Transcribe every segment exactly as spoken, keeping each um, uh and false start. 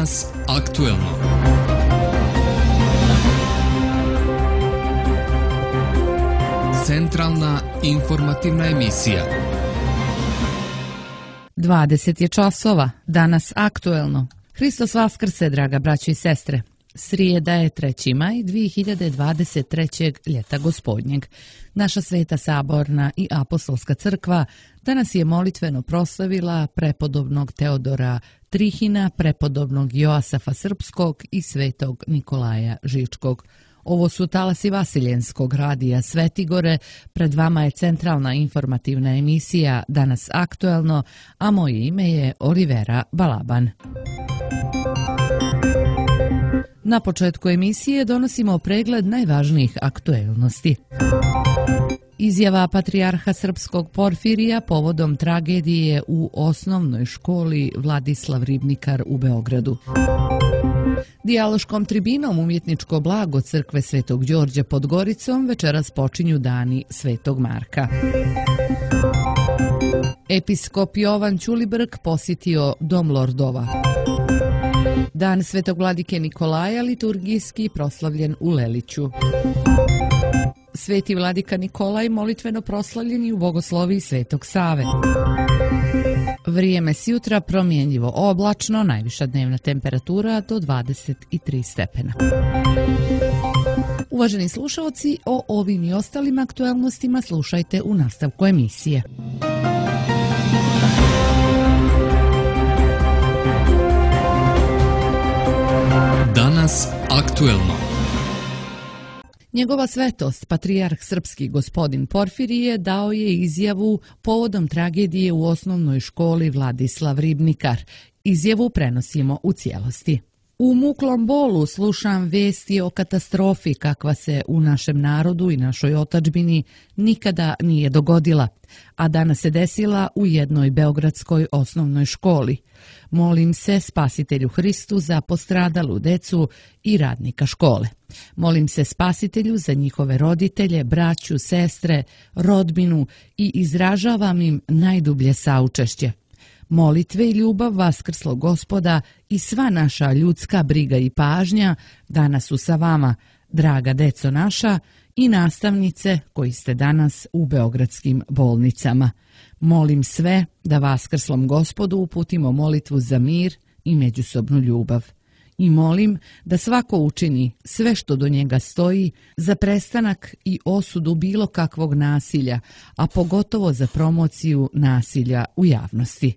Danas aktuelno. Centralna informativna emisija. dvadeset je časova, danas aktuelno. Hristos vaskrse, draga braćo i sestre. Srijeda je treći maj dvije hiljade dvadeset trećeg ljeta gospodnjeg. Naša Sveta Saborna i Apostolska crkva danas je molitveno proslavila prepodobnog Teodora Trihina, prepodobnog Joasafa Srpskog i svetog Nikolaja Žičkog. Ovo su talasi Vasiljenskog radija Svetigore, pred vama je centralna informativna emisija Danas aktuelno, a moje ime je Olivera Balaban. Na početku emisije donosimo pregled najvažnijih aktuelnosti. Izjava patrijarha srpskog Porfirija povodom tragedije u osnovnoj školi Vladislav Ribnikar u Beogradu. Dijaloškom tribinom umjetničko blago crkve Svetog Đorđa pod Goricom večeras počinju dani Svetog Marka. Episkop Jovan Ćulibrk posjetio Dom Lordova. Dan Svetog vladike Nikolaja liturgijski proslavljen u Leliću. Sveti vladika Nikolaj molitveno proslavljen i u bogosloviji Svetog Save. Vrijeme s jutra promjenjivo oblačno, najviša dnevna temperatura do dvadeset tri stepena. Uvaženi slušalci, o ovim i ostalim aktuelnostima slušajte u nastavku emisije. Danas aktuelno. Njegova svetost, patrijarh srpski gospodin Porfirije, dao je izjavu povodom tragedije u osnovnoj školi Vladislav Ribnikar. Izjavu prenosimo u cijelosti. U muklom bolu slušam vesti o katastrofi kakva se u našem narodu i našoj otadžbini nikada nije dogodila, a danas se desila u jednoj beogradskoj osnovnoj školi. Molim se Spasitelju Hristu za postradalu decu i radnika škole. Molim se Spasitelju za njihove roditelje, braću, sestre, rodbinu i izražavam im najdublje saučešće. Molitve i ljubav vaskrslog Gospoda i sva naša ljudska briga i pažnja danas su sa vama, draga deco naša i nastavnice koji ste danas u beogradskim bolnicama. Molim sve da vaskrslom Gospodu uputimo molitvu za mir i međusobnu ljubav. I molim da svako učini sve što do njega stoji za prestanak i osudu bilo kakvog nasilja, a pogotovo za promociju nasilja u javnosti.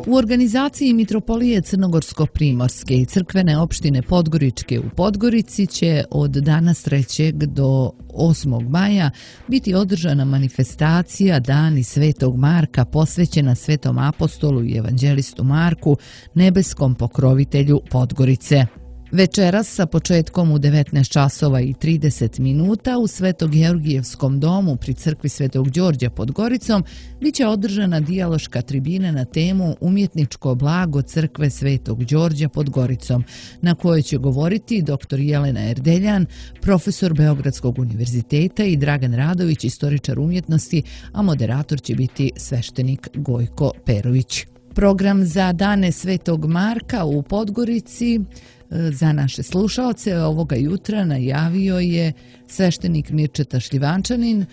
U organizaciji Mitropolije Crnogorsko-Primorske i crkvene opštine Podgoričke u Podgorici će od danas trećeg do osmog maja biti održana manifestacija Dani Svetog Marka posvećena Svetom apostolu i evanđelistu Marku, nebeskom pokrovitelju Podgorice. Večeras sa početkom u devetnaest časova i trideset minuta u Sveto-Georgijevskom domu pri crkvi Svetog Đorđa pod Goricom biće održana dijaloška tribina na temu Umjetničko blago crkve Svetog Đorđa pod Goricom, na kojoj će govoriti doktor Jelena Erdeljan, profesor Beogradskog univerziteta i Dragan Radović, istoričar umjetnosti, a moderator će biti sveštenik Gojko Perović. Program za Dane Svetog Marka u Podgorici za naše slušaoce ovoga jutra najavio je sveštenik Mirčeta Šljivančanin,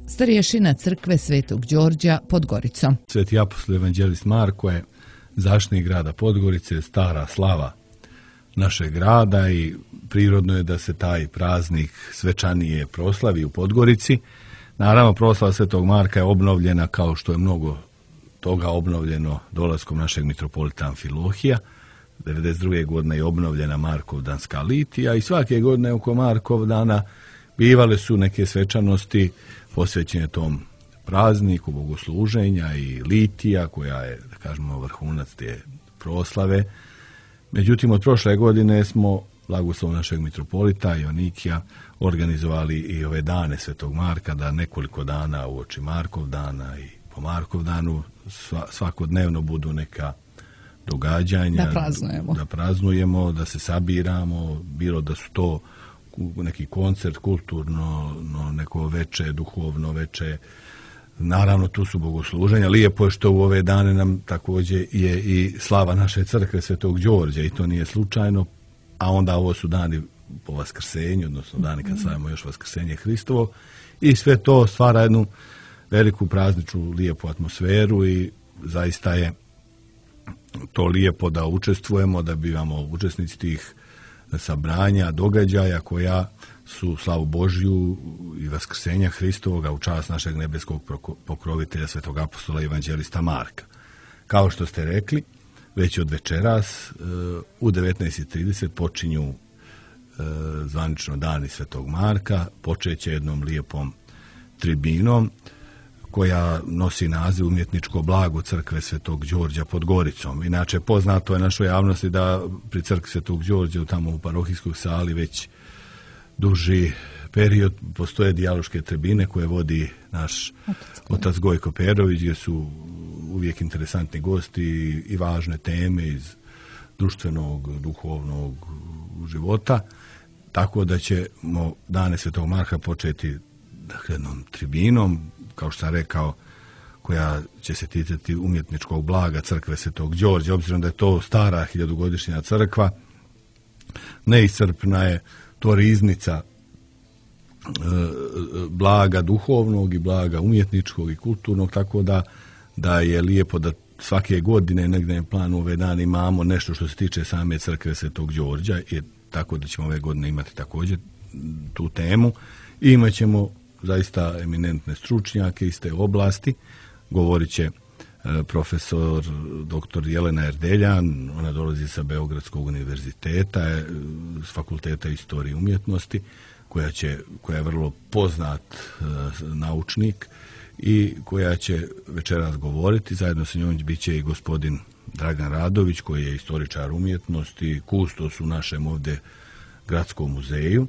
starješina crkve Svetog Đorđa pod Goricom. Sveti apostol evanđelist Marko je zaštitnik grada Podgorice, stara slava našeg grada i prirodno je da se taj praznik svečanije proslavi u Podgorici. Naravno, proslava Svetog Marka je obnovljena kao što je mnogo toga obnovljeno dolaskom našeg mitropolita Amfilohija. devedeset druge godine je obnovljena Markovdanska litija i svake godine oko Markovdana bivale su neke svečanosti posvećene tom prazniku bogosluženja i litija koja je, da kažemo, vrhunac te proslave. Međutim, od prošle godine smo blagoslovom našeg mitropolita Jonikija organizovali i ove dane Svetog Marka, da nekoliko dana uoči Markovdana i po Markovdanu svakodnevno budu neka događanja, da praznujemo. da praznujemo, da se sabiramo, bilo da su to neki koncert, kulturno, no, neko veče, duhovno veče, Naravno, tu su bogosluženja. Lijepo je što u ove dane nam također je i slava naše crkve Svetog Đorđa i to nije slučajno, a onda ovo su dani po Vaskrsenju, odnosno dani kad slavimo još Vaskrsenje Hristovo i sve to stvara jednu veliku prazničnu lijepu atmosferu i zaista je to lijepo da učestvujemo, da bivamo učesnici tih sabranja, događaja koja su slavu Božju i Vaskrsenja Hristovoga u čast našeg nebeskog pokrovitelja Svetog apostola i evanđelista Marka. Kao što ste rekli, već od večeras u devetnaest i trideset počinju zvanično dani Svetog Marka, počeće jednom lijepom tribinom koja nosi naziv Umjetničko blago crkve Svetog Đorđa pod Goricom. Inače, poznato je našoj javnosti da pri crkvi Svetog Đorđa tamo u parohijskoj sali već duži period postoje dijaloške tribine koje vodi naš otac Gojko Perović, gdje su uvijek interesantni gosti i važne teme iz društvenog, duhovnog života. Tako da ćemo dane Svetog Marka početi dakle, jednom tribinom, kao što sam rekao, koja će se ticati umjetničkog blaga crkve Svetog Đorđa, obzirom da je to stara hiljadugodišnja crkva, neiscrpna je to riznica e, blaga duhovnog i blaga umjetničkog i kulturnog, tako da, da je lijepo da svake godine negdje na planu ove dane imamo nešto što se tiče same crkve Svetog Đorđa, i tako da ćemo ove godine imati također tu temu i imat ćemo zaista eminentne stručnjake iz te oblasti. Govorit će e, profesor doktor Jelena Erdeljan, ona dolazi sa Beogradskog univerziteta, e, s fakulteta istorije i umjetnosti, koja, će, koja je vrlo poznat e, naučnik i koja će večeras govoriti. Zajedno sa njom bit će i gospodin Dragan Radović, koji je istoričar umjetnosti, kustos u našem ovdje gradskom muzeju,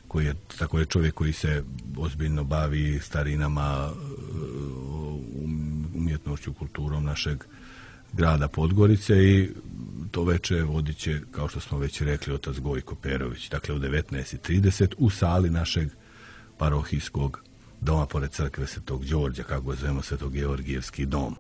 koji je također čovjek koji se ozbiljno bavi starinama, umjetnošću, kulturom našeg grada Podgorice i to veče vodit će, kao što smo već rekli, otac Gojko Perović. Dakle, u devetnaest i trideset u sali našeg parohijskog doma pored crkve Svetog Đorđa, kako ga zovemo, Svetogeorgijevski dom.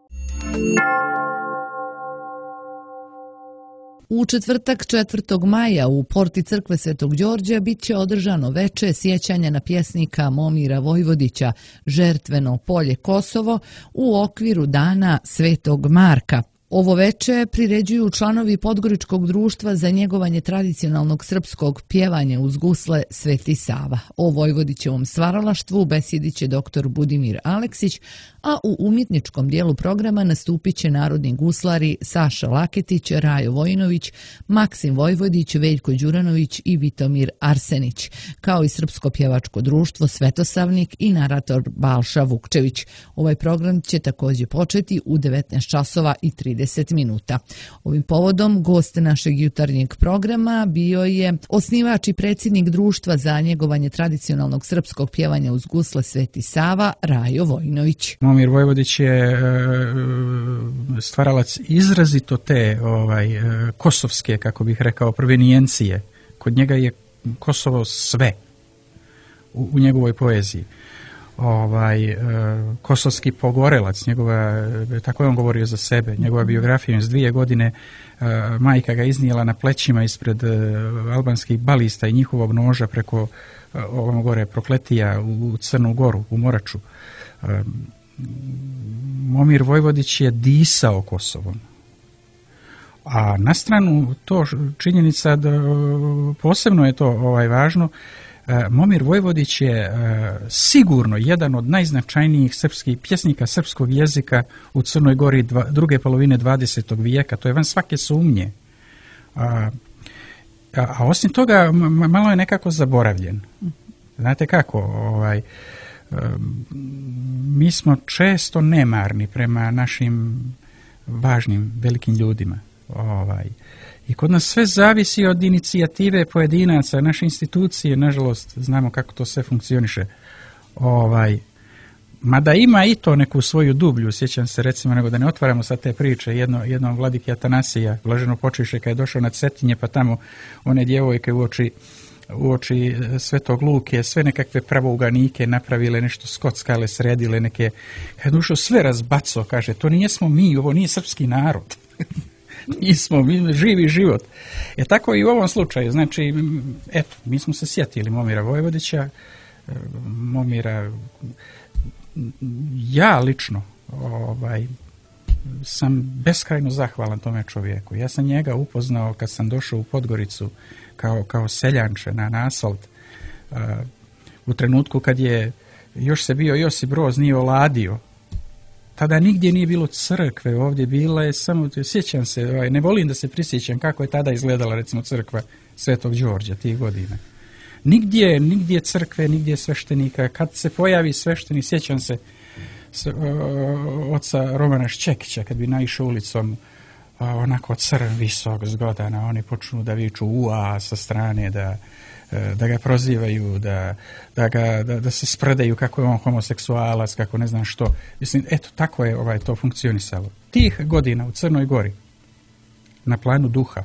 U četvrtak četvrtog maja u porti crkve Svetog Đorđa bit će održano veče sjećanja na pjesnika Momira Vojvodića Žertveno polje Kosovo u okviru dana Svetog Marka. Ovo veče priređuju članovi Podgoričkog društva za njegovanje tradicionalnog srpskog pjevanja uz gusle Sveti Sava. O Vojvodićevom stvaralaštvu besjedit će doktor Budimir Aleksić, a u umjetničkom dijelu programa nastupit će narodni guslari Saša Laketić, Rajo Vojinović, Maksim Vojvodić, Veljko Đuranović i Vitomir Arsenić, kao i Srpsko pjevačko društvo Svetosavnik i narator Balša Vukčević. Ovaj program će također početi u devetnaest časova i trideset minuta. Ovim povodom gost našeg jutarnjeg programa bio je osnivač i predsjednik društva za njegovanje tradicionalnog srpskog pjevanja uz gusle Sveti Sava, Rajo Vojinović. Momir Vojvodić je stvaralac izrazito te ovaj, kosovske, kako bih rekao, provenijencije. Kod njega je Kosovo sve u, u njegovoj poeziji. Ovaj, kosovski pogorelac, njegova, tako je on govorio za sebe, njegova biografija iz dvije godine, majka ga iznijela na plećima ispred albanskih balista i njihovog noža preko ovom gore Prokletija u Crnu Goru, u Moraču. Momir Vojvodić je disao Kosovom. A na stranu to činjenica da posebno je to ovaj važno, Momir Vojvodić je sigurno jedan od najznačajnijih srpskih pjesnika srpskog jezika u Crnoj Gori dva, druge polovine dvadesetog vijeka. To je van svake sumnje. A, a osim toga malo je nekako zaboravljen. Znate kako? Ovaj, mi smo često nemarni prema našim važnim, velikim ljudima. Ovaj, I kod nas sve zavisi od inicijative pojedinaca, naše institucije, nažalost, znamo kako to sve funkcioniše. Ovaj, mada ima i to neku svoju dublju, sjećam se recimo, nego da ne otvaramo sad te priče, jedno, jednom vladiki Atanasija, blaženo počeše kad je došao na Cetinje, pa tamo one djevojke uoči uoči Svetog Luke, sve nekakve pravouganike napravile, nešto skockale, sredile neke, kad ušao sve razbaco, kaže, to nijesmo mi, ovo nije srpski narod. Nismo, mi živi život. E tako i u ovom slučaju, znači, eto, mi smo se sjetili Momira Vojvodića, Momira, ja lično, ovaj, sam beskrajno zahvalan tome čovjeku. Ja sam njega upoznao kad sam došao u Podgoricu kao, kao seljanče na, na asfalt. Uh, u trenutku kad je još se bio Josip Broz nije oladio. Tada nigdje nije bilo crkve, ovdje bila je samo, sjećam se, ovaj, ne volim da se prisjećam kako je tada izgledala recimo crkva Svetog Đorđa tih godina. Nigdje, nigdje crkve, nigdje sveštenika. Kad se pojavi sveštenik, sjećam se s, o, oca Romana Ščekića, kad bi naišao ulicom o, onako crn, visok, zgodan, a oni počnu da viču ua sa strane, da, da ga prozivaju, da, da, ga, da, da se sprdaju kako je on homoseksualac, kako ne znam što. Mislim, eto, tako je ovaj, to funkcionisalo. Tih godina u Crnoj Gori, na planu duha,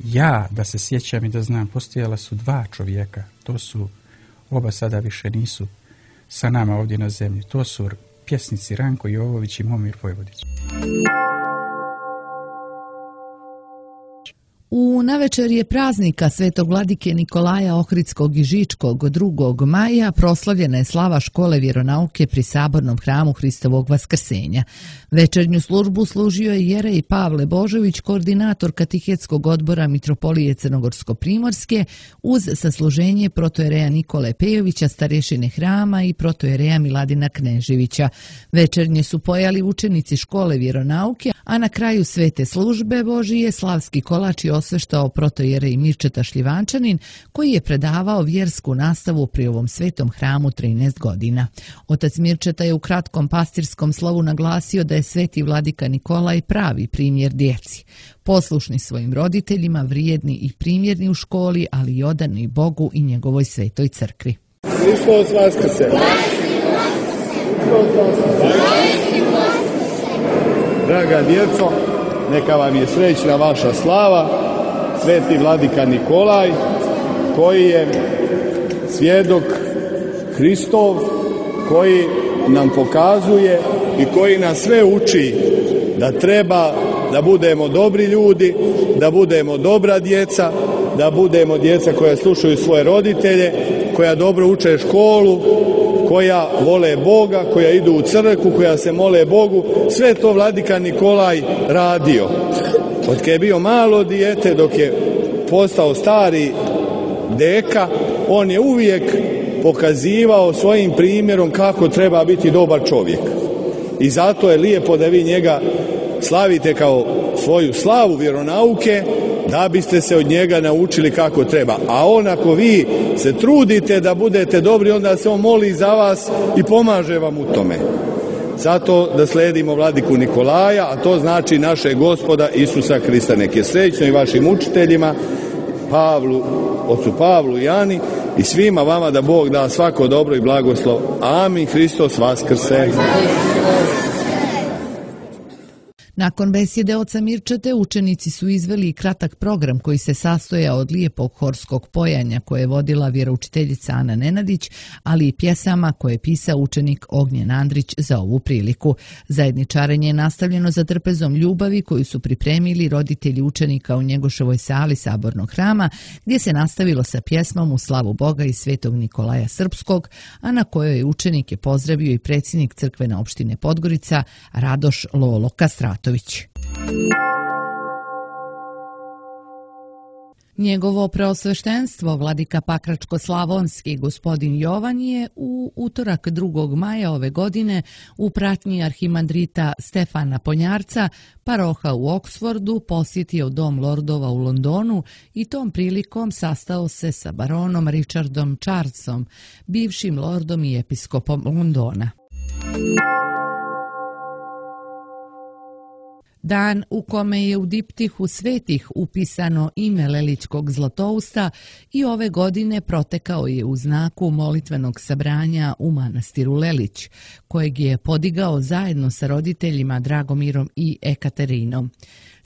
ja, da se sjećam i da znam, postojala su dva čovjeka, to su, oba sada više nisu sa nama ovdje na zemlji, to su pjesnici Ranko Jovović i Momir Vojvodić. U navečerje praznika Svetog vladike Nikolaja Ohridskog i Žičkog drugog maja proslavljena je slava škole vjeronauke pri Sabornom hramu Hristovog Vaskrsenja. Večernju službu služio je jerej Pavle Božović, koordinator katehetskog odbora Mitropolije Crnogorsko-Primorske, uz sasluženje protojereja Nikole Pejovića, starješine hrama i protojereja Miladina Kneževića. Večernje su pojali učenici škole vjeronauke, a na kraju svete službe Božije slavski kolač je osveštao protojerej Mirčeta Šljivančanin, koji je predavao vjersku nastavu pri ovom svetom hramu trinaest godina. Otac Mirčeta je u kratkom pastirskom slovu naglasio da je sveti vladika Nikolaj pravi primjer djeci. Poslušni svojim roditeljima, vrijedni i primjerni u školi, ali i odani Bogu i njegovoj svetoj crkvi. Hristos Vaskrse! Draga djeco, neka vam je srećna vaša slava, sveti vladika Nikolaj, koji je svjedok Hristov, koji nam pokazuje i koji nas sve uči da treba da budemo dobri ljudi, da budemo dobra djeca, da budemo djeca koja slušaju svoje roditelje, koja dobro uče školu, koja vole Boga, koja idu u crkvu, koja se mole Bogu. Sve to vladika Nikolaj radio. Od kad je bio malo dijete, dok je postao stari deka, on je uvijek pokazivao svojim primjerom kako treba biti dobar čovjek. I zato je lijepo da vi njega slavite kao svoju slavu vjeronauke, da biste se od njega naučili kako treba. A on, ako vi se trudite da budete dobri, onda se on moli za vas i pomaže vam u tome. Zato da sledimo vladiku Nikolaja, a to znači naše Gospoda Isusa Krista. Nek je srećno i vašim učiteljima, Pavlu, ocu Pavlu i Ani, i svima vama da Bog da svako dobro i blagoslov. Amin. Hristos Vaskrse! Nakon besjede oca Mirčete, učenici su izveli kratak program koji se sastojao od lijepog horskog pojanja koje je vodila vjeroučiteljica Ana Nenadić, ali i pjesama koje je pisao učenik Ognjen Andrić za ovu priliku. Zajedničarenje je nastavljeno za trpezom ljubavi koju su pripremili roditelji učenika u Njegoševoj sali Sabornog hrama, gdje se nastavilo sa pjesmom u slavu Boga i svetog Nikolaja Srpskog, a na kojoj je učenike pozdravio i predsjednik crkvene opštine Podgorica Radoš Lolo Kastratović. Njegovo preosveštenstvo vladika Pakračko-slavonski gospodin Jovan je u utorak drugog maja ove godine u pratnji arhimandrita Stefana Ponjarca, paroha u Oksfordu, posjetio dom lordova u Londonu i tom prilikom sastao se sa baronom Richardom Charlesom, bivšim lordom i episkopom Londona. Dan u kome je u diptihu svetih upisano ime Leličkog Zlatousta i ove godine protekao je u znaku molitvenog sabranja u manastiru Lelić, kojeg je podigao zajedno sa roditeljima Dragomirom i Ekaterinom.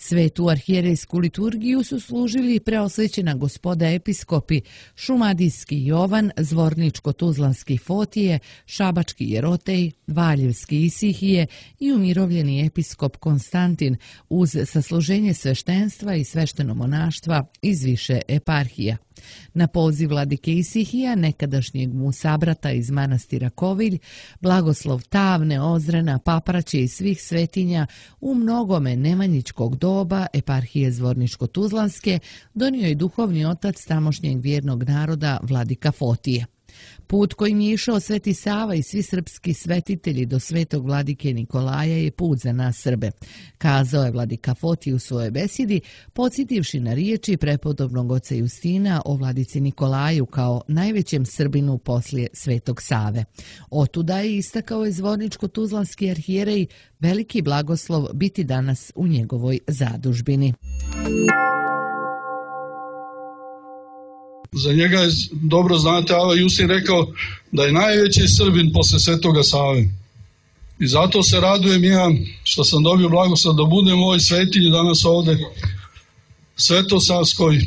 Svetu arhijerejsku liturgiju su služili preosvećena gospoda episkopi Šumadijski Jovan, Zvorničko-Tuzlanski Fotije, Šabački Jerotej, Valjevski Isihije i umirovljeni episkop Konstantin uz sasluženje sveštenstva i sveštenomonaštva iz više eparhija. Na poziv vladike Isihija, nekadašnjeg mu sabrata iz manastira Kovilj, blagoslov Tavne, Ozrena, Papraće i svih svetinja u mnogome nemanjičkog doba eparhije Zvorničko-Tuzlanske donio je duhovni otac tamošnjeg vjernog naroda vladika Fotije. Put kojim je išao Sveti Sava i svi srpski svetitelji do svetog vladike Nikolaja je put za nas Srbe, kazao je vladika Fotije u svojoj besjedi, podsjetivši na riječi prepodobnog oca Justina o vladici Nikolaju kao najvećem Srbinu poslije Svetog Save. Otuda je istakao je Zvorničko-Tuzlanski arhijerej veliki blagoslov biti danas u njegovoj zadužbini. Za njega je, dobro znate, Ava Justin rekao da je najveći Srbin posle Svetoga Save. I zato se radujem ja što sam dobio blagoslov da budem u ovoj svetinji danas ovde, Svetosavskoj,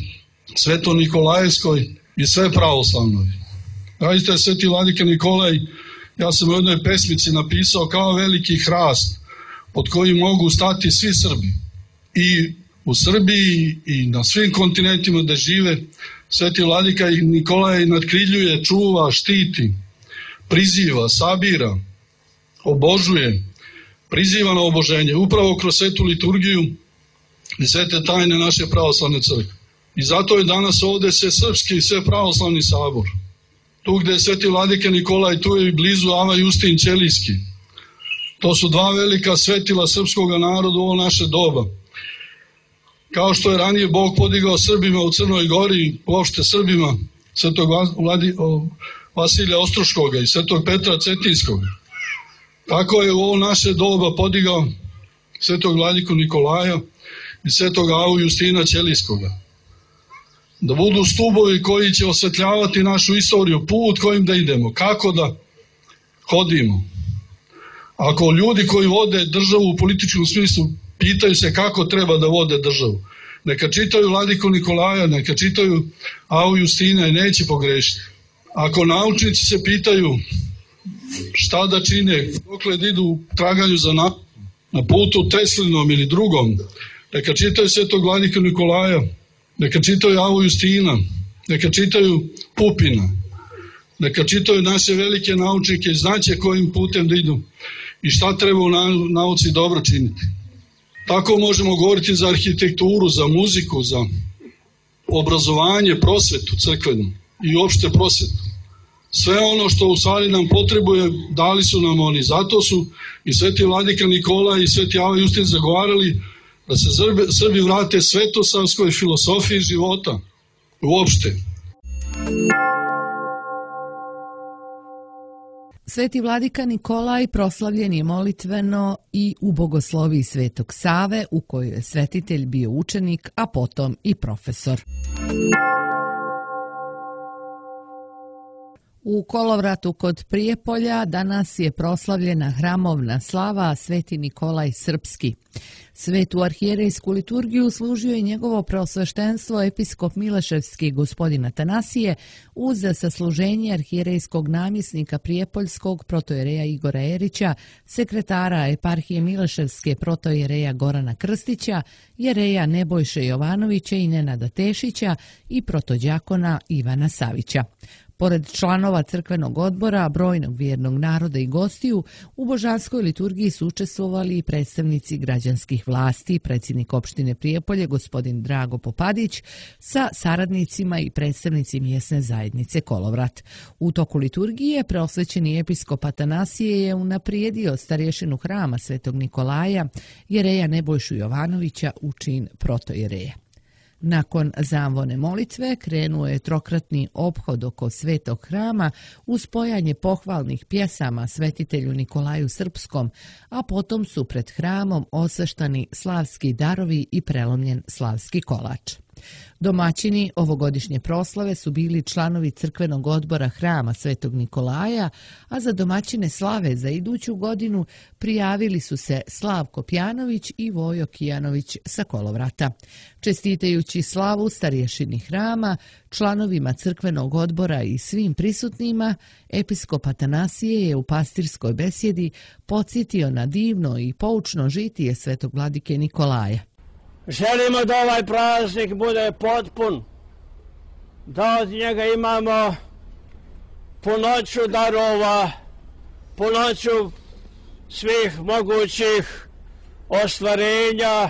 Sveto-Nikolajevskoj i sve pravoslavnoj. Radite, Sveti vladika Nikolaj, ja sam u jednoj pesmici napisao kao veliki hrast pod kojim mogu stati svi Srbi. I u Srbiji i na svim kontinentima gde žive, Sveti vladika Nikolaj nadkriljuje, čuva, štiti, priziva, sabira, obožuje, priziva na oboženje, upravo kroz svetu liturgiju i svete tajne naše pravoslavne crkve. I zato je danas ovde sve srpski i sve pravoslavni sabor. Tu gde je Sveti vladika Nikolaj, tu je i blizu Ava Justin Ćelijski. To su dva velika svetila srpskog naroda u ovo naše doba. Kao što je ranije Bog podigao Srbima u Crnoj Gori, uopšte Srbima, Svetog Vasilija Ostroškoga i Svetog Petra Cetinskog, tako je u ovo naše doba podigao Svetog vladiku Nikolaja i Svetog Avu Justina Ćelijskoga. Da budu stubovi koji će osvetljavati našu istoriju, put kojim da idemo, kako da hodimo. Ako ljudi koji vode državu u političkom smislu pitaju se kako treba da vode državu, neka čitaju vladiku Nikolaja, neka čitaju Avu Justina i neće pogrešiti. Ako naučnici se pitaju šta da čine, dokle da idu u traganju za na, na putu Teslinom ili drugom, neka čitaju Svetog vladiku Nikolaja, neka čitaju Avu Justina, neka čitaju Pupina, neka čitaju naše velike naučnike i znaće kojim putem da idu i šta treba u nauci dobro činiti. Tako možemo govoriti za arhitekturu, za muziku, za obrazovanje, prosvetu crkvenu i uopšte prosvetu. Sve ono što u stvari nam potrebuje, dali su nam oni. Zato su i Sveti vladika Nikola i Sveti Ava Justin zagovarali da se Srbi vrate svetosavskoj filosofiji života uopšte. Sveti vladika Nikolaj proslavljen je molitveno i u bogosloviji Svetog Save, u kojoj je svetitelj bio učenik, a potom i profesor. U Kolovratu kod Prijepolja danas je proslavljena hramovna slava Sveti Nikolaj Srpski. Svetu arhijerejsku liturgiju služio je njegovo preosveštenstvo episkop Mileševski gospodin Atanasije uz sasluženje arhijerejskog namjesnika Prijepoljskog protojereja Igora Erića, sekretara eparhije Mileševske protojereja Gorana Krstića, jereja Nebojše Jovanovića i Nenada Tešića i protođakona Ivana Savića. Pored članova crkvenog odbora, brojnog vjernog naroda i gostiju, u božanskoj liturgiji su učestvovali i predstavnici građanskih vlasti, predsjednik opštine Prijepolje, gospodin Drago Popadić, sa saradnicima i predstavnici mjesne zajednice Kolovrat. U toku liturgije preosvećeni episkop Atanasije je unaprijedio starješinu hrama Svetog Nikolaja, jereja Nebojšu Jovanovića u čin protojereja. Nakon zamvone molitve krenuo je trokratni ophod oko svetog hrama uz spojanje pohvalnih pjesama svetitelju Nikolaju Srpskom, a potom su pred hramom osveštani slavski darovi i prelomljen slavski kolač. Domaćini ovogodišnje proslave su bili članovi crkvenog odbora hrama Svetog Nikolaja, a za domaćine slave za iduću godinu prijavili su se Slavko Pjanović i Vojo Kijanović sa Kolovrata. Čestitajući slavu starješini hrama, članovima crkvenog odbora i svim prisutnima, episkop Atanasije je u pastirskoj besjedi podsjetio na divno i poučno žitije svetog vladike Nikolaja. Želimo da ovaj praznik bude potpun, da od njega imamo punoću darova, punoću svih mogućih ostvarenja,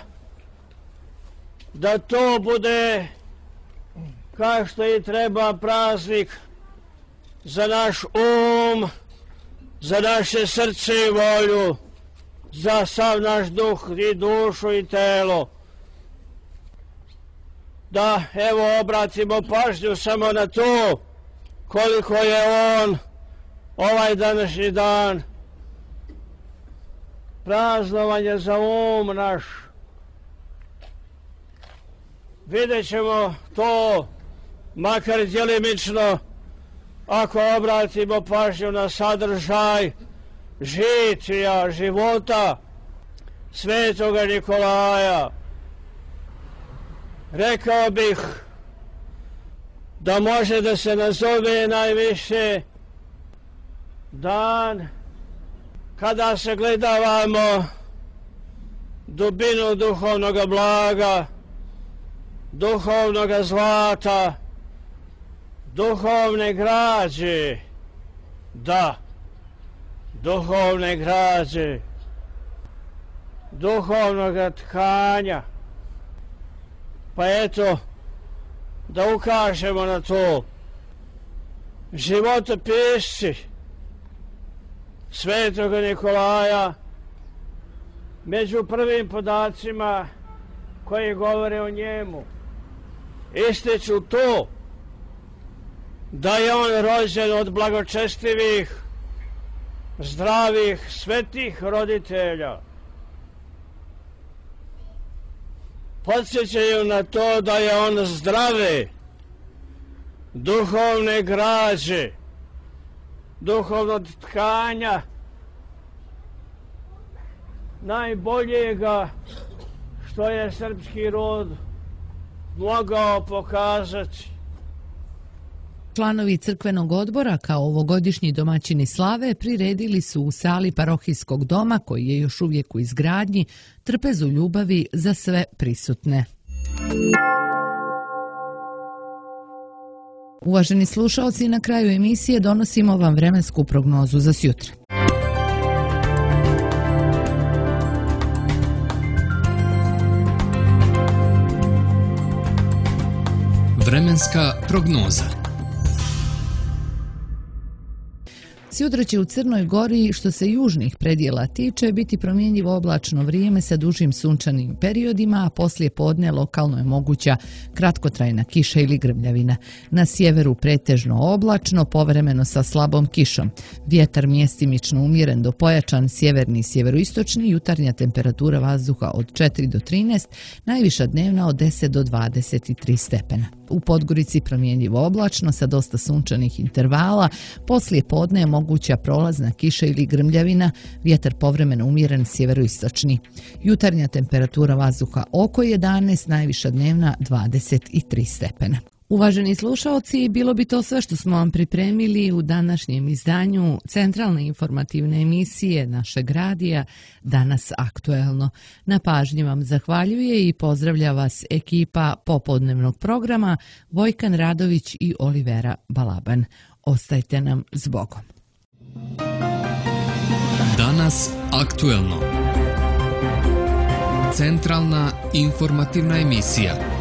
da to bude kao što i treba praznik za naš um, za naše srce i volju, za sav naš duh i dušu i telo. Da, evo, obratimo pažnju samo na to koliko je on ovaj današnji dan praznovanje za um naš. Vidjet ćemo to, makar djelimično, ako obratimo pažnju na sadržaj žitija, života Svetoga Nikolaja. Rekao bih da može da se nazove najviše dan kada se gledavamo dubinu duhovnog blaga, duhovnog zlata, duhovne građe, da, duhovne građe, duhovnog tkanja. Pa eto, da ukažemo na to. Životopisci Svetoga Nikolaja među prvim podacima koji govore o njemu ističu to da je on rođen od blagočestivih, zdravih, svetih roditelja. Podsjećaju na to da je on zdrave, duhovne građe, duhovnog tkanja, najboljega što je srpski rod mogao pokazati. Članovi crkvenog odbora kao ovogodišnji domaćini slave priredili su u sali parohijskog doma, koji je još uvijek u izgradnji, trpezu ljubavi za sve prisutne. Uvaženi slušaoci, na kraju emisije donosimo vam vremensku prognozu za sjutra. Vremenska prognoza. Sjutra će u Crnoj Gori, što se južnih predjela tiče, biti promjenjivo oblačno vrijeme sa dužim sunčanim periodima, a poslije podne lokalno je moguća kratkotrajna kiša ili grmljavina. Na sjeveru pretežno oblačno, povremeno sa slabom kišom. Vjetar mjestimično umjeren do pojačan, sjeverni i sjeveroistočni, jutarnja temperatura vazduha od četiri do trinaest, najviša dnevna od deset do dvadeset tri stepena. U Podgorici promjenjivo oblačno sa dosta sunčanih intervala, poslije podne je moguća prolazna kiša ili grmljavina, vjetar povremeno umjeren sjeveroistočni. Jutarnja temperatura vazduha oko jedanaest, najviša dnevna dvadeset tri stepena. Uvaženi slušaoci, bilo bi to sve što smo vam pripremili u današnjem izdanju centralne informativne emisije našeg radija Danas aktuelno. Na pažnji vam zahvaljuje i pozdravlja vas ekipa popodnevnog programa Vojkan Radović i Olivera Balaban. Ostajte nam s Bogom. Danas aktuelno. Centralna informativna emisija.